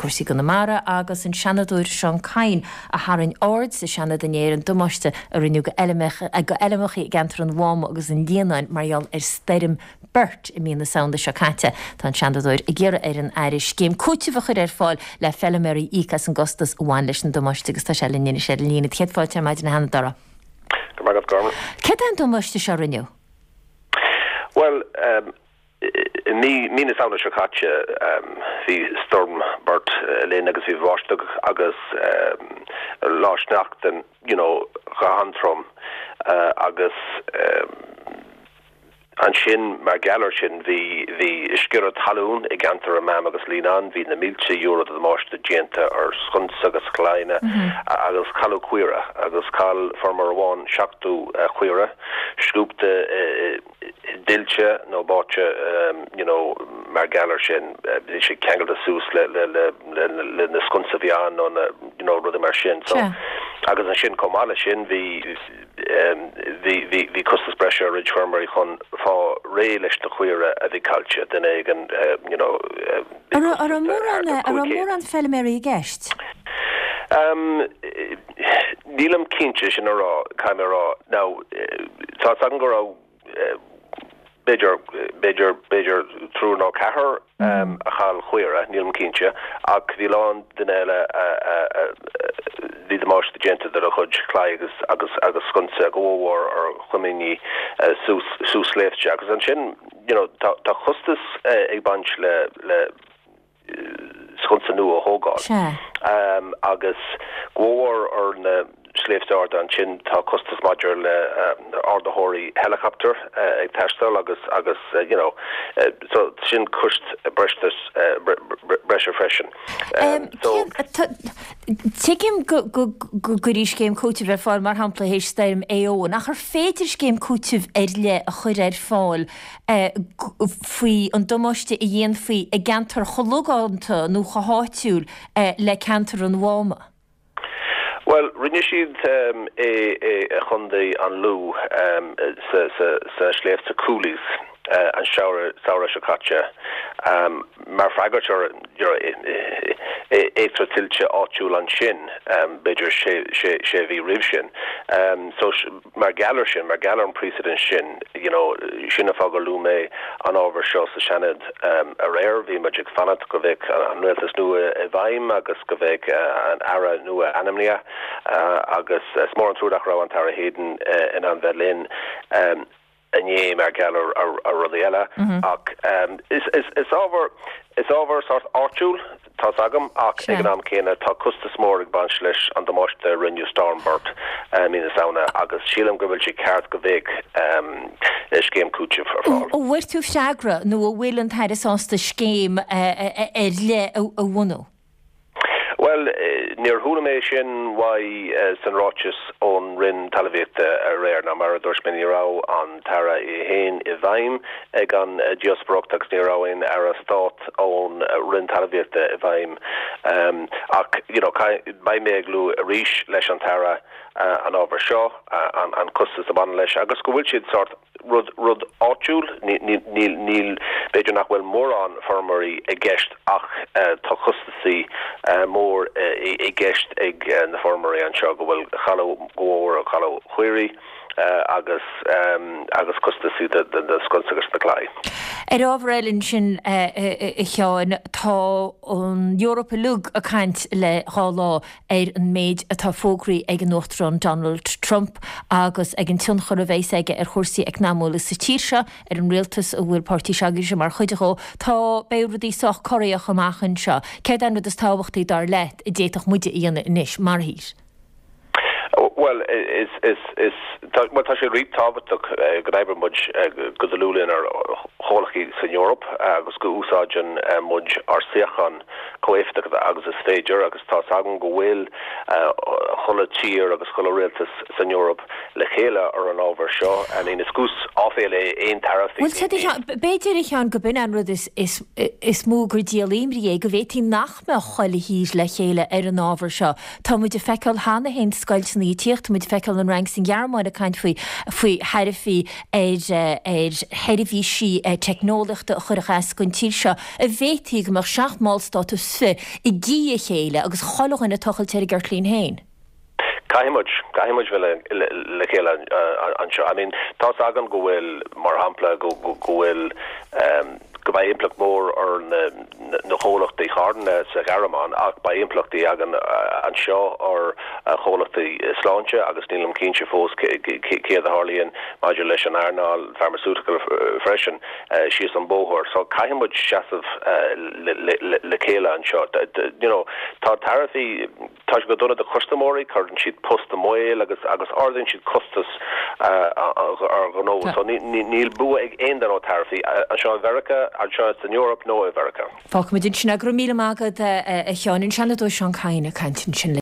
cúrsaí i gConamara, agus an Seanadóir Seán Kyne a tharraing aird sa Seanad inné ar an damáiste a rinneadh go fheilmeacha i gceantar an Mháma agus an Líonáin mar gheall ar stoirm Bert i mí na Samhna seo caite. Tá an Seanadóir ag iarraidh ar an Aire scéim cúitimh a chur ar fáil le feilméaraí a íoc as an gcostas a bhain leis an damáiste agus tá sé linn anois ar an líne. Céad fáilte ar maidin a Sheanadóra. Go raibh maith agat, Carmen. Céard é an damáiste seo a rinneadh? Bhuel, i mí, mí na Samhna seo caite, bhí Storm Bert linn agus bhí báisteach agus lá sneachta, you know, go han-trom agus Ansin, mar gheall air sin, bhí, bhí sciorradh talún i gceantar an Mhám agus Líonán, bhí na mílte euro de dhamáiste déanta ar sconsa agus claíonna agus cailleadh caoire agus chaill feirmeoir amháin 70 caora scuabtha i dtuilte nó báite you know mar gheall air sin. Bhí sé ceangailte suas le, le, le, le, le na sconsa a bhí ann nó na, you know, rudaí mar sin. So, agus ansin chomh maith leis sin bhí, Bhí costas breise ar roinnt feirmeoirí chun fáil réidh leis na caoire a bhí caillte, duine éigin you know bhí costas de thart ar 500. An raibh mórán feilméaraí i gceist? Nílim cinnte sin a rá, caithfidh mé a rá. Now tá 's agam go raibh b'fhéidir, b'fhéidir, b'fhéidir triúr nó ceathrar a chaill caoire, nílim cinnte, ach bhí a lán duine eile a, a, a, bhí damáiste déanta dá gcuid claí agus, agus, agus sconsa go mhór ar choimíní suas, suas sléibhte agus ansin, you know, tá, tá costas ag baint le, le, sconsa nua a thógáil. Agus go mhór ar na sléibhte arda ansin tá costas maidir le ardaitheoirí helicopter ag teastáil agus agus you know so sin cost breise breise freisin. So. Tuigim go gcuirfí scéim cúitimh ar fáil mar shampla théis stoirm Éowyn ach ar féidir scéim cúitimh ar leith a chur ar fáil faoi an damáiste a dhéanfaí i gceantar chomh logánta nó chomh háitiúil le ceantar an Mháma? Bhuel, rinne siad é i gContae an Lú sa sléibhte Cooley's an samhradh seo caite mar freagairt ar eachtra tuilte áitiúil ansin, b'fhéidir sé mhí roimh sin. So Mar gheall ar sin, mar gheall ar an precedent sin, you know, sin an fáth gur luaigh mé an ábhar seo sa Seanad aréir. Bhí muid ag fanacht go mbeadh an rialtas nua i bhfeidhm agus go mbeadh an Aire nua ainmnithe agus is mór an trua nach raibh an tAire Heydon in ann bheith linn inné mar gheall ar rudaí eile ach is ábhar, is ábhar sórt áitiúil, tá's agam, ach ag an am céanna tá costas mór ag baint leis an damáiste a rinne Storm Bert i mí na Samhna agus sílim go bhfuil sé ceart go mbeadh scéim cúitimh ar fáil. An bhfuair tú freagra nó an bhfuil an tAire sásta scéim ar leith a bhunú? Bhuel, níor chuala mé sin uaidh san ráiteas ón Roinn Talmhaíochta aréir. Now, mar a dúirt mé, ní raibh an tAire é féin i bhfeidhm ag an díospóireacht agus ní raibh aon Aire Stáit ón Roinn Talmhaíochta i bhfeidhm. Ach, you know, beidh mé ag lua arís leis an tAire an ábhar seo, an costas a bhaineann leis agus go bhfuil siad sórt, rud, rud áitiúil, níl, níl, b'fhéidir nach bhfuil mórán feirmeoirí i gceist ach tá costasaí mór i gceist ag na feirmeoirí anseo go bhfuil cailleadh go mhór cailleadh caoirigh agus agus costasaí de na sconsa agus na claí. Ar ábhar eile ansin a Sheáin, tá an Eoraip uilig ag caint le dhá lá ar an méid atá fógraithe ag an Uachtarán Donald Trump agus ag an tionchar a bheas aige ar chúrsaí eacnamúla sa tír seo, ar an rialtas a bhfuil páirtí s'agaibhse mar chuid dhó. Tá, beidh rudaí sách corraitheach amach anseo. Céard é an rud is tábhachtaí, dar leat, a d'fhéadfadh muide a dhéanamh anois, mar thír? Bhuel, is, is, is, tá, bhuel, tá sé rí-tábhachtach go n-oibreoidh muid go dlúth lenár gcomhghleacaithe san Eoraip agus go úsáideann muid ár suíochán chomh éifeachtach agus is féidir agus tá's agam go bhfuil chuile tír agus chuile rialtas san Eoraip le chéile ar an ábhar seo. I mean is cúis áiféala é aon taraifí. Bhuel, b'fhéidir a Sheáin go b'in an rud is mó gur díol imní é, go bhféadfaí nach mbeadh chuile thír le chéile ar an ábhar seo. Tá muid ag feiceáil cheana féin scoilteanna ag tíocht. Tá muid ag feiceáil an Fhrainc 's an Ghearmáin ag caint faoi faoi tharaifí ar ar sheirbhísí teicneolaíochta a chuirfeadh as don tír seo. An bhféadfaí go mbeadh 7 mballstát is fi i gcíth a chéile agus chuile dhuine ag tochailt ar a gceirtlín féin? Caithfidh muid, caithfidh muid bheith le chéile anseo. I mean, tá's againn go bhfuil, mar shampla, go bhfuil, go mbeidh impleacht mór ar na na chomhlachtaí carthanna sa Ghearmáin ach beidh impleachtaí againn anseo ar chomhlachtaí sláinte agus nílim cinnte fós céard a tharlaíonn maidir leis an earnáil pharmaceutical freisin síos an bóthar. So caithfidh muid seasamh le chéile anseo. You know, tá taraifí Tá sé go dona do chustaiméirí, cuireann siad poist i mbaol agus agus ardaíonn siad costas ar ghnó. So níl bua ag aon duine ó taraifí, anseo i Mheiriceá, anseo san Eoraip nó i Mheiriceá. Fágfaimid ansin é. Go raibh míle maith agat a Sheáin. An Seanadóir Seán Kyne ag caint ansin.